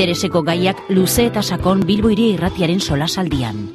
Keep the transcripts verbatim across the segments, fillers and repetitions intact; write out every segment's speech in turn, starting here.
Intereseko gaiak luze eta sakon Bilbo Hiria Irratiaren solasaldian.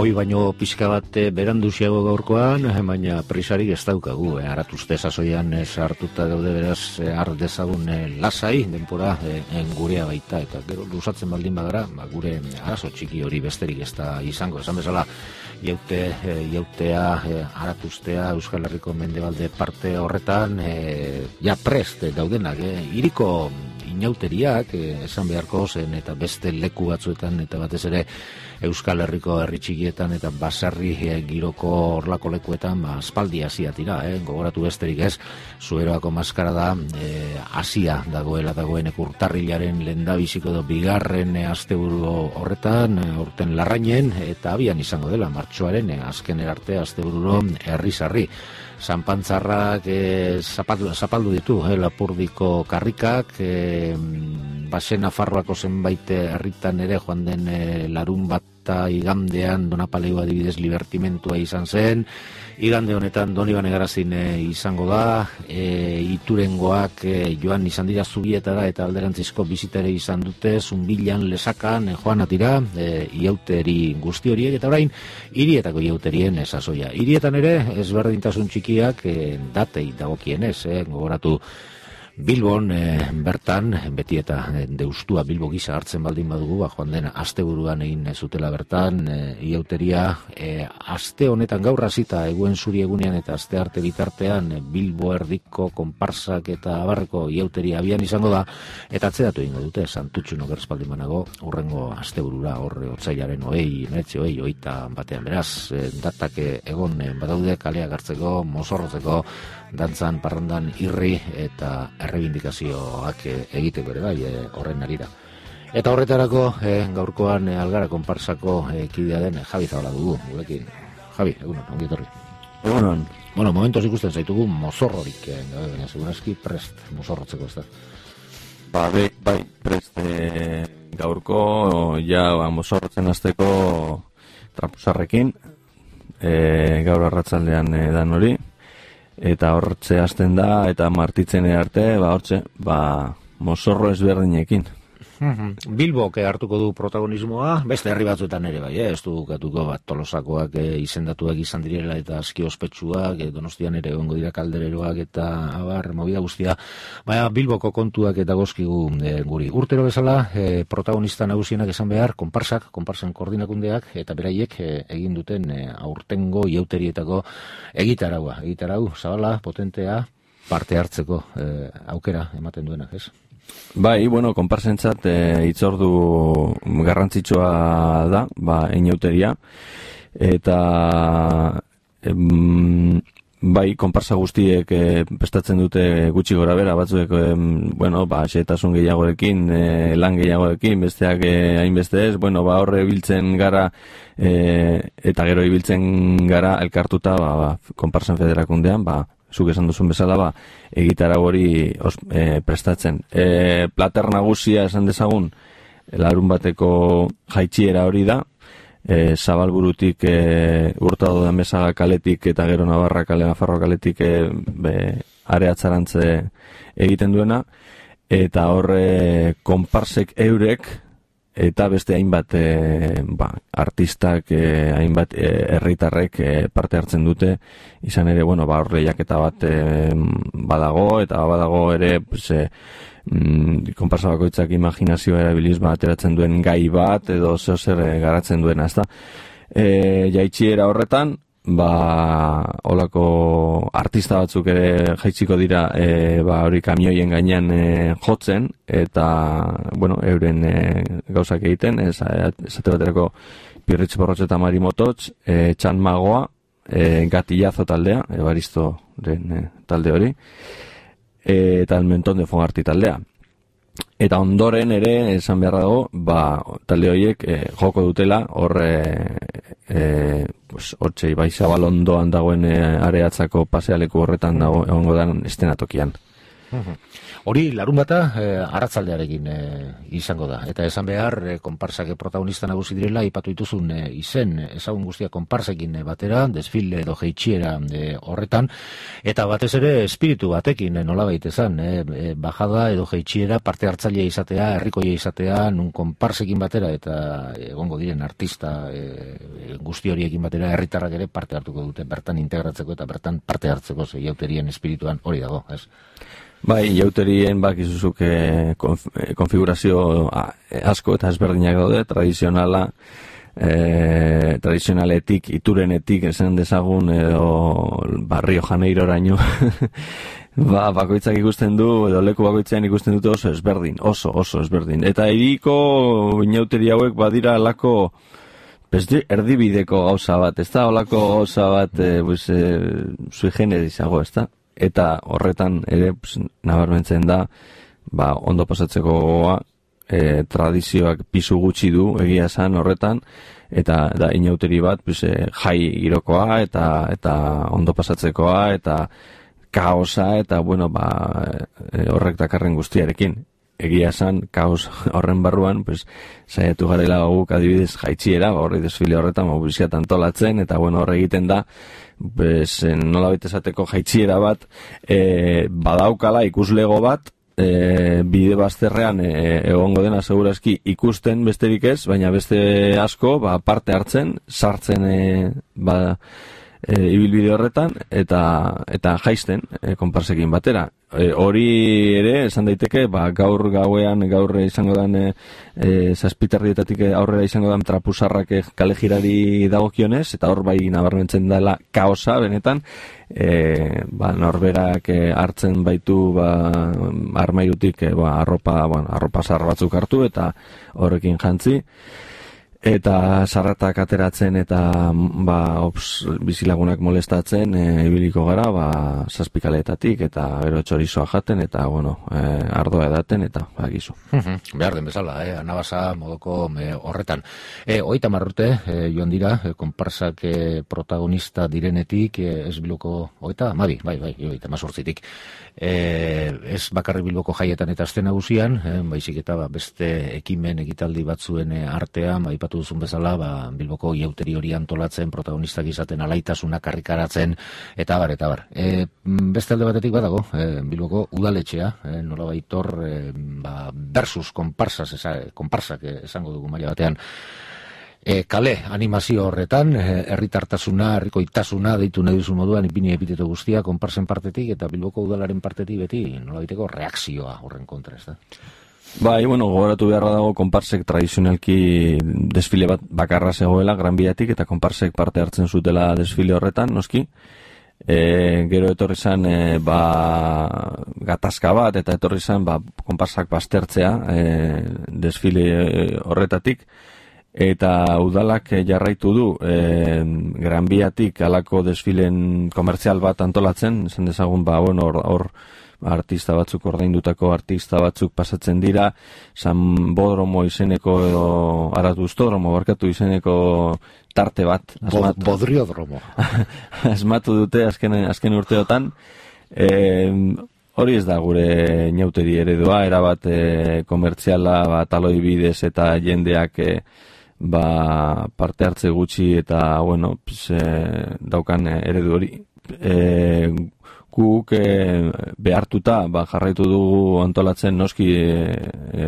Hoi baino pixka bat beranduziago gaurkoan, baina prisarik ez daukagu. Eh, Aratuzte sasoian sartuta daude beraz har dezagun eh, lasai, denpora eh, gurea baita. Eta gero luzatzen baldin bagara, ba, gure arazo txiki hori besterik ez da izango. Esan bezala, jaute, eh, jautea, eh, aratuztea, Euskal Herriko mendebalde parte horretan, eh, ja prest daudenak. Eh, iriko inauteriak, eh, esan beharko zen, eta beste leku batzuetan, eta batez ere Euskal Herriko herri txikietan eta baserri e, giroko horlako lekuetan ba, aspaldi hasia tira, eh? Gogoratu besterik ez, Zuberoako maskara da e, hasia dagoela dagoen urtarrilaren lehendabiziko edo bigarren e, asteburu horretan, e, urten larrainen, eta abian izango dela, martxoaren e, azken erarte astebururo herri-sarri. Zanpantzarrak e, zapaldu, zapaldu ditu, eh, Lapurdiko karrikak, e, basen Nafarroako zenbait herritan ere joan den e, larun bat eta igandean Donapaleu adibidez libertimentua izan zen, igande honetan Donibane Garazin e, izango da, e, Iturengoak e, joan izan dira Zubietara eta alderantzizko bizitare izan dute, Zunbilan, Lesakan, e, joan atira, e, iauteri guzti horiek, eta orain, hirietako iauterien esasoia. Hirietan ere, ezberdintasun txikiak e, datei dagokienez, e, gogoratu Bilbon e, bertan, beti eta deustua Bilbo gisa hartzen baldin badugu, ba, joan den asteburuan egin zutela bertan, e, iauteria, e, aste honetan gaur hasita eguen zuri egunean eta aste arte bitartean e, Bilbo erdiko konparsak eta abarreko iauteria abian izango da, eta atzeratu egingo dute, Santutxun okerz baldin banago, urrengo asteburura, horre otsailaren oei, meretze oei, oita batean beraz, e, datak egon e, badaude kaleak hartzeko, mozorrotzeko, dantzan, parrandan, irri eta errebindikazioak egiteko ere bai, e, horren arira. Eta horretarako e, gaurkoan e, Algara konparsako e, kidea den e, Javi Zabala dugu, gurekin. Javi, egunon, ongi etorri. Egunon. Bueno, momentos ikusten zaitugu mozorrorik, e, baina segurazki prest mozorrotzeko, ez da? Ba, bai, bai prest e, gaurko, ja, ba, mozorrotzen hasteko trapuzarrekin, e, gaur arratsaldean e, dan hori, eta hortze hasten da, eta martitzen arte, ba, hortze, ba, mozorro ezberdinekin. Bilbok hartuko du protagonismoa, beste herri batzuetan ere bai, eh? Ez du gatuko bat Tolosakoak eh, izendatuak izan direla eta aski ospetsuak, eh, Donostian ere egongo dira kaldereroak eta abar, movida guztia, baina Bilboko kontuak eta gozkigu eh, guri. Urtero bezala, eh, protagonista nagusienak esan behar, konparsak, konparsen koordinakundeak, eta beraiek eh, egin duten eh, aurtengo iauterietako egitaragua, egitarau, zabala, potentea, parte hartzeko eh, aukera ematen duena, ez? Bai, bueno, konparsentzat e, itzordu garrantzitsua da, ba, inauteria, eta em, bai, konparsa guztiek e, prestatzen dute gutxi gora bera, batzuek, e, bueno, ba, xetasun gehiagorekin, e, lan gehiagorekin, besteak e, hainbeste ez, bueno, ba, horre ibiltzen gara, e, eta gero ibiltzen gara elkartuta, ba, ba, konparsen federakundean, ba, zuk esan duzun bezala, ba, egitara hori e, prestatzen. E, plater nagusia esan dezagun, larun bateko jaitxiera hori da, e, Zabalburutik e, Hurtado de Mesaga kaletik eta gero Navarra kale, Nafarro kaletik e, be, areatzarantze egiten duena, eta horre konparsek eurek, eta beste hainbat e, ba, artistak, e, hainbat herritarrek e, parte hartzen dute, izan ere, bueno, ba, hor lehiaketa bat e, badago, eta badago ere, pues, e, mm, konparsa bakoitzak imaginazioa erabiliz ba, ateratzen duen gai bat, edo zeo zer e, garatzen duena, ezta? E, jaitxiera horretan, ba, olako artista batzuk ere jaitziko dira e, ba, hori kamioien gainean e, jotzen, eta, bueno, euren e, gauzak egiten, ez, esate baterako Pirritx Borrotx eta Mari Mototx, e, Txan Magoa, e, Gatillazo taldea, Ebaristo e, talde hori, e, eta el Menton de Fogarty taldea. Eta ondoren ere, esan beharra dago, ba, talde horiek e, joko dutela, hor e, e, pues, hortxe Ibai Zabalondoan dagoen e, areatzako pasealeku horretan dago, egongo da estenatokian. Hori larun bata eh, arratzaldearekin eh, izango da. Eta esan behar, eh, konparsak protagonista nagusi direla, ipatu dituzun eh, izen, ezagun guztia konparsekin eh, batera, desfile edo jeitxiera eh, horretan, eta batez ere espiritu batekin eh, nolabait ezan, eh, eh, bajada edo jeitxiera parte hartzailea izatea, herrikoia izatea, nun konparsekin batera, eta egongo diren artista eh, guzti horiekin batera, herritarrak ere parte hartuko dute, bertan integratzeko eta bertan parte hartzeko zeiauterien espirituan hori dago, ez? Bai, jauterien bakizuzuk e, konf, e, konfigurazio a, asko eta ezberdinak daude, tradizionala, e, tradizionaletik, iturenetik, esan dezagun, edo Barrio Janeiroraino, ba, bakoitzak ikusten du, edo leku bakoitzean ikusten dute oso ezberdin, oso, oso ezberdin. Eta hiriko inauteri hauek badira alako, beste erdibideko gauza bat, ez da, olako gauza bat, e, pues, e, sui generis-ago, ez da? Eta horretan ere pues, nabarmentzen da ba, ondo pasatzeko gogoa, e, tradizioak pisu gutxi du egia esan horretan, eta da inauteri bat pues, e, jai girokoa eta eta ondo pasatzekoa eta kaosa eta bueno ba, e, horrek dakarren guztiarekin. Egia esan kaos horren barruan pues, saiatu garela guk adibidez jaitxiera, horri desfile horretan mobilizat antolatzen eta bueno horre egiten da pues, nola baita esateko jaitxiera bat e, badaukala ikuslego bat e, bide bazterrean e, egongo dena segurazki ikusten besterik ez, baina beste asko ba, parte hartzen, sartzen e, ba, e, ibilbide horretan eta eta jaisten e, konparsekin batera. E, hori ere esan daiteke ba, gaur gauean gaur izango den e, e, zazpiterrietatik aurrera izango den trapusarrak kale jirari dagokionez eta hor bai nabarmentzen dela kaosa benetan e, ba, norberak e, hartzen baitu ba, armairutik e, ba, arropa, bueno, arropa zar batzuk hartu eta horrekin jantzi eta sarratak ateratzen eta ba, ops, bizilagunak molestatzen e, ibiliko gara ba, zazpikaletatik eta gero txorizoa jaten eta bueno, e, ardoa edaten eta bagizu. Behar den bezala, eh? Anabasa modoko e, horretan. E, Oita marrute e, joan dira, e, konparsak e, protagonista direnetik, e, ez Bilboko oita, mabi, bai, bai, oita mazortzitik. E, ez bakarri Bilboko jaietan eta azte nagusian, e, baizik eta ba, beste ekimen ekitaldi batzuen e, artean, ba, duzun bezala, ba, Bilboko iauteri hori antolatzen, protagonistak izaten alaitasunak karrikaratzen, eta bar, eta bar. E, beste alde batetik badago, e, Bilboko udaletxea, e, nola baitor, e, ba, versus konparsas, esa, konparsak esango dugu maila batean, e, kale animazio horretan, herritartasuna, herrikoitasuna, deitu nahi duzu moduan, ipini epiteto guztia, konparsen partetik, eta Bilboko udalaren partetik beti, nola baiteko reakzioa horren kontra, ez da? Bai, bueno, gogoratu beharra dago konparsek tradizionalki desfile bat bakarra zegoela Gran Biatik eta konparsek parte hartzen zutela desfile horretan, noski. E, gero etorri zan e, ba, gatazka bat eta etorri zan ba, konparsak baztertzea e, desfile horretatik eta udalak jarraitu du e, Gran Biatik alako desfilen komertzial bat antolatzen, esan dezagun ba, bueno, hor, hor artista batzuk ordaindutako artista batzuk pasatzen dira, Sanbodromo izeneko edo Aratustodromo barkatu izeneko tarte bat asmatu. Bodriodromo. asmatu dute azken, azken urteotan. E, hori ez da gure inauteri eredua, erabat e, komertziala ba, taloi bidez eta jendeak e, ba, parte hartze gutxi eta bueno, pues, e, daukan eredu hori. E, guk e, behartuta ba, jarraitu dugu antolatzen noski e, e,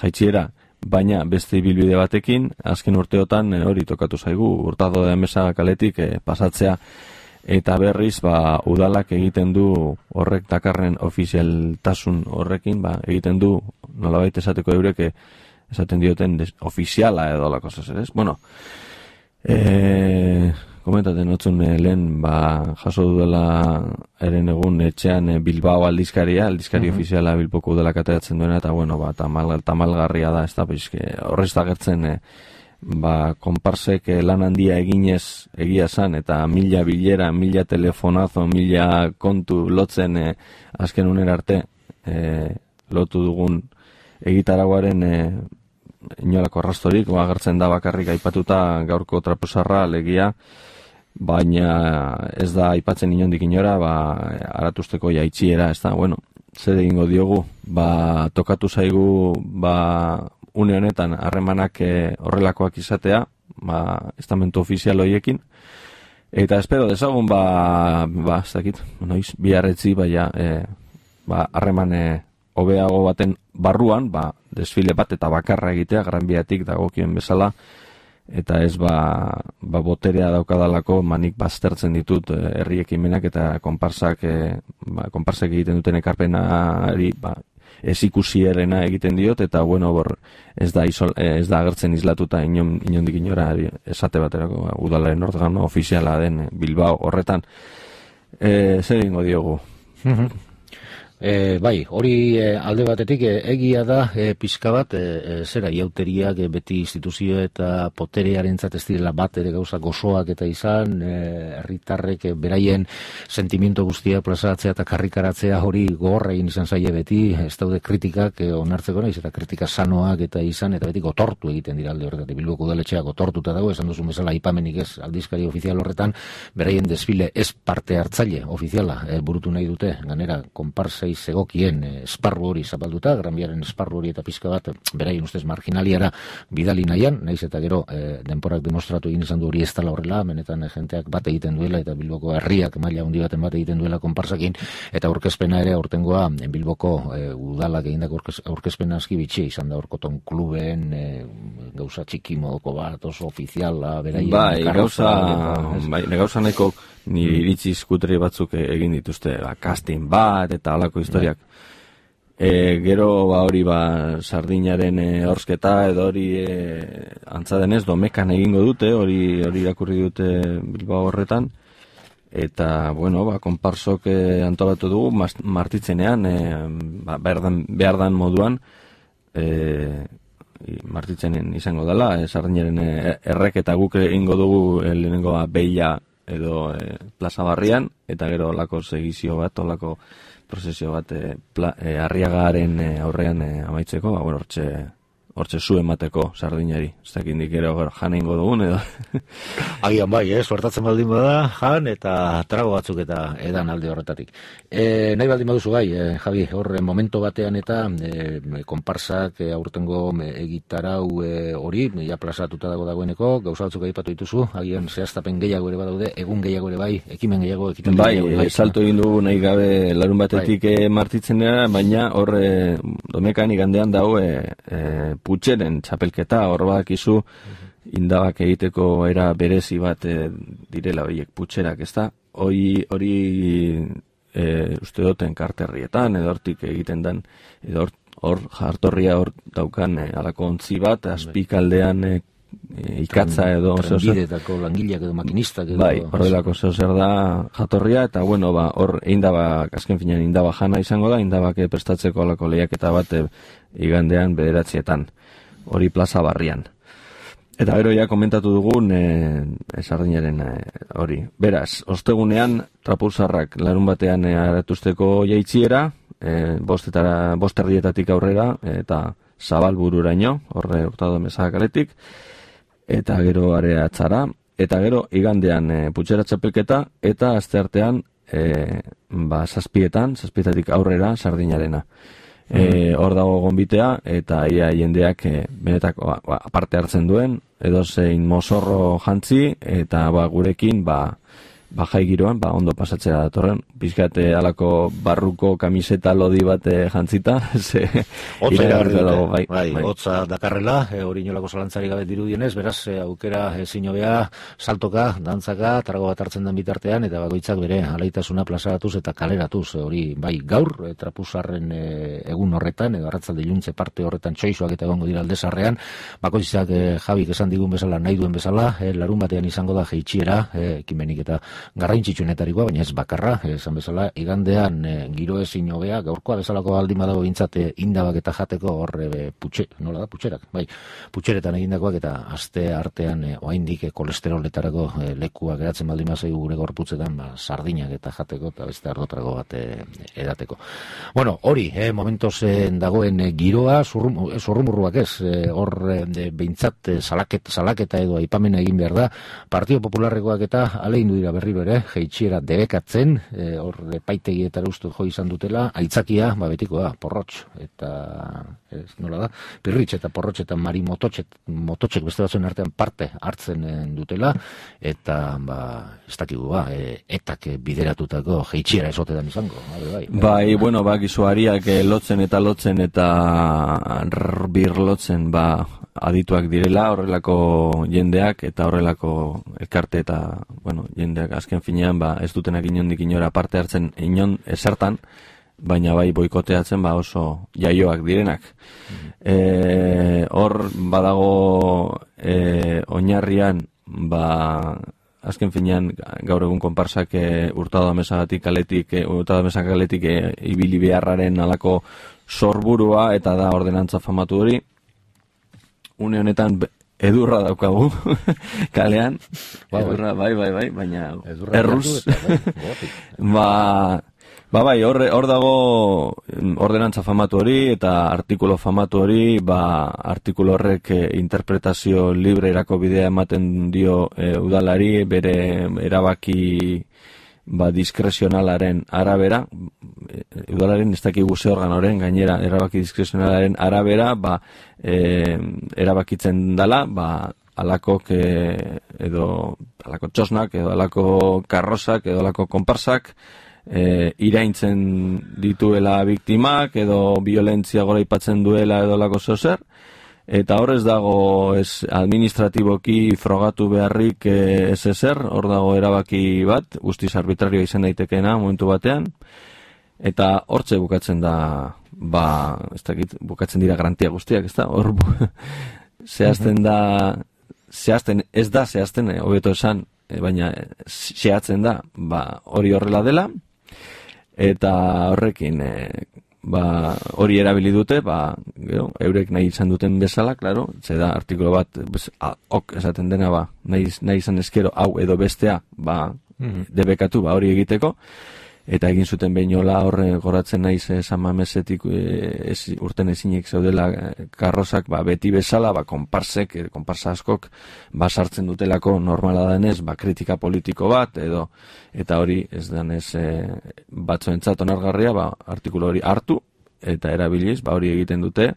jaitxiera, baina beste ibilbide batekin, azken urteotan e, hori tokatu zaigu, Hurtado de Mesa kaletik e, pasatzea eta berriz ba, udalak egiten du horrek dakarren ofizialtasun horrekin, ba, egiten du nolabait esateko eurek esaten dioten des, ofiziala edo la cosa zer ez? Bueno, e, komentaten notzun eh, lehen ba, jaso dudala eren egun etxean eh, Bilbao aldizkaria, aldizkari uh-huh. ofiziala Bilboko udalak ateratzen duena eta bueno, ba, tamal, tamalgarria da, ez da, horrez da gertzen eh, ba, konparsek lan handia eginez egia zan, eta mila bilera, mila telefonazo, mila kontu lotzen e, azken unera arte e, lotu dugun egitaraguaren e, inolako arrastorik, ba, agertzen da bakarrik aipatuta gaurko trapuzarra legia, baina ez da aipatzen inondik inora, ba, aratusteko jaitxiera, ez da, bueno, zer egingo diogu, ba, tokatu zaigu, ba, une honetan harremanak e, horrelakoak izatea, ba, estamentu ofizial horiekin, eta espero dezagun, ba, ba, ez dakit, noiz, biarretzi, baina, e, ba, harreman e, hobeago baten barruan, ba, desfile bat eta bakarra egitea, Gran Biatik dagokien bezala, eta ez ba, ba boterea daukadalako manik baztertzen ditut herri ekimenak eta konparsak, e, ba, konparsak egiten duten ekarpenari ba, ez ikusierena egiten diot, eta bueno, bor, ez da isol, ez da agertzen islatuta inon, inondik inora esate baterako ba, udalaren organo ofiziala den Bilbao horretan. E, zer egingo diogu? E, bai, hori e, alde batetik e, egia da e, pixka bat, e, e, zera, iauteriak e, beti instituzio eta poterearentzat ez direla bat ere gauza gozoak eta izan, herritarrek e, beraien sentimiento guztia plazatzea eta karrikaratzea hori gogorra egin izan zaie beti, ez daude kritikak e, onartzeko naiz, eta kritika sanoak eta izan, eta beti gotortu egiten dira alde horretatik, Bilboko udaletxea gotortuta dago, esan duzun bezala aipamenik ez aldizkari ofizial horretan, beraien desfile ez parte hartzaile ofiziala e, burutu nahi dute, ganera, konparsei zegokien esparru hori zapalduta, Gran Biaren esparru hori eta pizka bat beraien ustez marginaliara bidali nahian, naiz eta gero e, denporak demostratu egin izan du hori ez dela horrela, benetan e, jenteak bat egiten duela eta Bilboko herriak maila handi baten bat egiten duela konparsakin, eta aurkezpena ere aurtengoa Bilboko e, udalak egindako aurkezpena aski bitxia izan da Orkoton kluben e, gauza txiki modoko bat, oso ofiziala beraien bai, gauza, bai, gauza neko nire iritzi skuteri batzuk egin dituzte, ba, casting bat eta halako historiak. E, gero ba hori ba Sardinaren e, horsketa edo hori e, antza denez Domekan egingo dute, hori hori irakurri dute Bilbao horretan, eta bueno, ba konparsok e, antolatu dugu martitzenean e, ba, behar dan, behar dan moduan e, martitzenen izango dela, e, Sardinaren e, errek eta guk egingo dugu e, lehenengo beia edo e, plaza barrian, eta gero olako segizio bat, olako prozesio bat e, pla, e, Arriagaren e, aurrean e, amaitzeko, ba, bueno, hortxe, hortxe zu emateko Sardinari, ez dakindik ere jan egingo dugun, edo. Agian bai, eh, suertatzen baldin bada, jan eta trago batzuk eta edan alde horretatik. E, nahi baldin baduzu gai, e, Javi, hor momento batean eta e, konparsak e, aurtengo e, egitarau e, hori, ja plazatuta dago dagoeneko, gauza batzuk aipatu dituzu, agian zehaztapen gehiago ere badaude, egun gehiago ere bai, ekimen gehiago, ekimen bai, gehiago. Bai, salto egin dugu nahi gabe larun batetik bai. e, martitzenera, baina hor e, Domekan igandean dago e, e, putxeren txapelketa, hor badakizu indabak egiteko era berezi bat e, direla horiek putxerak, ez da? Hori, hori e, uste duten karterrietan, edo hortik egiten den, edo hor jartorria hor daukan e, alako ontzi bat, azpikaldean e, e, ikatza edo trenbidetako langileak edo makinistak edo, bai, horrelako zeo zer da jatorria, eta bueno, ba, hor indabak, azken finean indaba jana izango da, indabak prestatzeko alako lehiaketa bat e, igandean bederatzietan, hori plaza barrian. Eta gero ja komentatu dugun e, Sardinaren e, hori. Beraz, ostegunean trapuzarrak larun batean e, aratusteko jaitziera, e, bostetara, bosterrietatik aurrera, eta Zabalbururaino, horre Hurtado Mesaga kaletik, eta gero areatzara, eta gero igandean e, putxera txapelketa, eta asteartean e, ba, zazpietan, zazpietatik aurrera Sardinarena. E, hor dago gonbitea, eta ia jendeak e, benetako ba, aparte hartzen duen, edo zein mozorro jantzi, eta ba, gurekin ba, ba, jai giroan, ba, ondo pasatzera datorren, pizkate alako barruko kamiseta lodi bat e, jantzita, ze hotza dago, bai, bai, bai. Hotza dakarrela, e, hori inolako zalantzari gabe dirudienez, beraz, e, aukera ezin hobea, saltoka, dantzaka, trago bat hartzen den bitartean, eta bakoitzak bere alaitasuna plazaratuz eta kaleratuz, e, hori bai gaur, e, trapuzarren e, egun horretan, edo arratzalde iluntze parte horretan txoizoak eta egongo dira aldezarrean, bakoitzak e, Javik esan digun bezala, nahi duen bezala, e, larun batean izango da jeitxiera, e, ekimenik eta garrantzitsuenetarikoa, baina ez bakarra, esan bezala, igandean e, giro ezin hobea, gaurkoa bezalako baldin badago bintzate indabak eta jateko horre e, putxe, nola da, putxerak, bai, putxeretan egindakoak eta aste artean e, oaindik e, kolesteroletarako e, lekua geratzen baldin bazaigu gure gorputzetan, ba, sardinak eta jateko eta beste ardotrago bat e, edateko. Bueno, hori, e, momentoz e, dagoen e, giroa, zurrum, zurrumurruak ez, e, hor e, behintzat e, salaket, salaketa edo aipamena egin behar da, Partido Popularrekoak eta aleindu dira berriro ere, jeitxiera debekatzen, e, hor epaitegietara uste jo izan dutela, aitzakia, ba betikoa, porrotx, eta ez, nola da, pirritx eta porrotx eta mari mototxek, mototxek beste batzuen artean parte hartzen dutela, eta ba, ez dakigu ba, e, etak bideratutako jeitxiera esotetan izango. Bai, bai, bai bueno, ba, gizuariak lotzen eta lotzen eta birlotzen, ba, adituak direla, horrelako jendeak eta horrelako elkarte eta, bueno, jendeak azken finean, ba, ez dutenak inondik inora parte hartzen inon esertan, baina bai boikoteatzen ba oso jaioak direnak. Mm-hmm. E, hor badago e, oinarrian, ba, azken finean gaur egun konparsak e, Hurtado Amesagatik kaletik, e, Hurtado Amesagatik kaletik e, ibili beharraren alako sorburua eta da ordenantza famatu hori. Une honetan edurra daukagu kalean, edurra, bai, bai, bai, baina erruz, ba, ba, bai, hor, hor dago ordenantza famatu hori eta artikulo famatu hori, ba, artikulo horrek e, interpretazio librerako bidea ematen dio e, udalari, bere erabaki ba, diskrezionalaren arabera, udalaren ez dakigu ze organoren, gainera erabaki diskrezionalaren arabera, ba, e, erabakitzen dala, ba, alakok e, edo alako txosnak, edo alako karrosak, edo alako konparsak, e, iraintzen dituela biktimak, edo violentzia goraipatzen duela edo alako zozer, eta horrez dago ez administratiboki frogatu beharrik ez ezer, hor dago erabaki bat, guztiz arbitrario izan daitekeena momentu batean, eta hortze bukatzen da, ba, ez dakit, bukatzen dira garantia guztiak, ez da, hor zehazten da, zehazten, ez da zehazten, hobeto esan, baina zehatzen da, ba, hori horrela dela, eta horrekin, e, ba, hori erabili dute, ba, gero, eurek nahi izan duten bezala, claro, ze da artikulo bat, bez, a, ok, esaten dena, ba, nahi, nahi izan eskero, hau edo bestea, ba, mm-hmm. debekatu, ba, hori egiteko, eta egin zuten behinola horre goratzen naiz samamesetik ez, urten ezinik zaudela karrozak, ba, beti bezala, ba, konparsek, konparsa askok, ba, sartzen dutelako normala denez, ba, kritika politiko bat, edo, eta hori ez denez e, batzuentzat onargarria, ba, artikulu hori hartu, eta erabiliz, ba, hori egiten dute,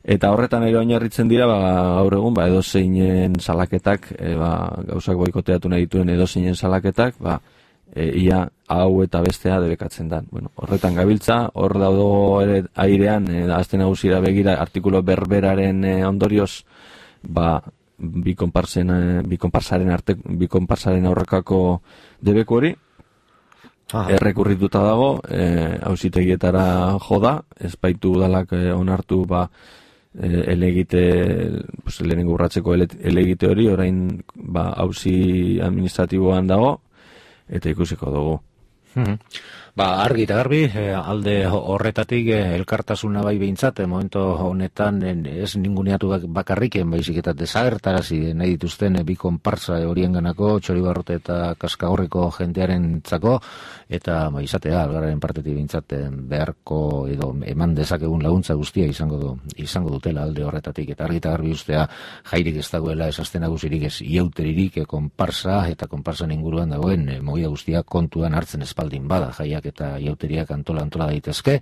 eta horretan ere oinarritzen dira, ba, gaur egun, ba, edozeinen salaketak, e, ba, gauzak boikoteatu nahi dituen edozeinen salaketak, ba, E, ia hau eta bestea debekatzen da. Bueno, horretan gabiltza, hor daudo ere airean, e, azte nagusira begira, artikulo berberaren e, ondorioz, ba, bi konparsen, e, bi konparsaren arte, bi konparsaren aurrekako debeku hori, errekurrituta dago, e, auzitegietara joda, ezpaitu udalak e, onartu, ba, e, elegite, pues, lehenengo urratzeko elegite hori, orain, ba, auzi administratiboan dago, eta ikusiko dugu. Hmm. Ba, argi eta garbi, eh, alde horretatik eh, elkartasuna bai behintzat, eh, momento honetan eh, ez ninguneatu bakarriken, baizik eta desagertarazi nahi dituzten eh, bi konparsa horien ganako, Txoribarrote eta Kaskagorriko jendearen txako, eta ba, izatea, algararen partetik behintzat eh, beharko edo eman dezakegun laguntza guztia izango du, izango dutela alde horretatik, eta argi eta garbi ustea jairik ez dagoela esazten nagusirik ez ieuteririk eh, konparsa eta konparsan inguruan dagoen eh, mogia guztia kontuan hartzen espaldin bada, jaiak eta iauteriak antola antola daitezke,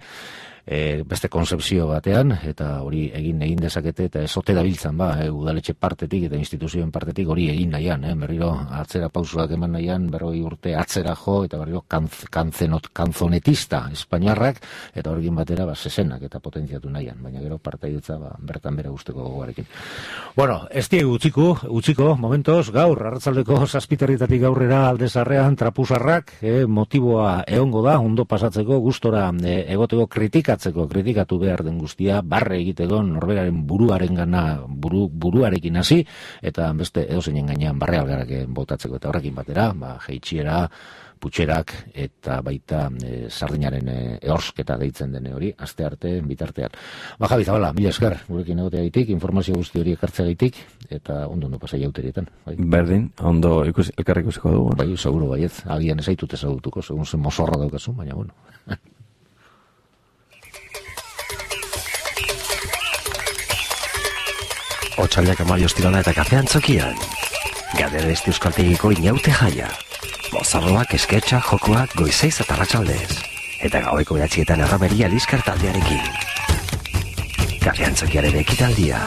e, beste konzepzio batean, eta hori egin egin dezakete, eta ezote dabiltzan, ba, e, udaletxe partetik eta instituzioen partetik hori egin nahian, eh? Berriro atzera pausuak eman nahian, berroi urte atzera jo, eta berriro kanz, kanzenot, kanzonetista espainiarrak, eta horrekin batera, ba, sesenak eta potentziatu nahian, baina gero partaidetza, ba, bertan bera guzteko gogoarekin. Bueno, ez diegu utziko, utziko, momentos, gaur, arratzaldeko zazpiterritatik gaurrera aldezarrean trapusarrak, eh, motiboa egongo da, ondo pasatzeko, gustora eh, egoteko kritika kritikatzeko, kritikatu behar den guztia, barre egiteko norberaren buruaren gana, buru, buruarekin hasi, eta beste edozeinen gainean barre algarak botatzeko, eta horrekin batera, ba, jeitxiera, putxerak eta baita e, sardinaren e, eorsketa deitzen dene hori, aste arte bitartean. Ba, Javi Zabala, mila esker, gurekin egoteagaitik, informazio guzti hori ekartzeagaitik, eta ondo ondo pasai auterietan. Bai? Berdin, ondo ikus, elkarrik ikusiko dugu. Bai, seguro baiet, agian ezaitut ezagutuko, segun zen mozorra daukazu, baina bueno. Otsailak amabi ostirala eta kafean txokian. Gadera ez euskaltegiko inaute jaia. Mozarroak, esketxa, jokoak, goizeiz eta arratsaldez. Eta gaueko behatzietan erromeria liskar taldearekin. Kafean txokiaren ekitaldia.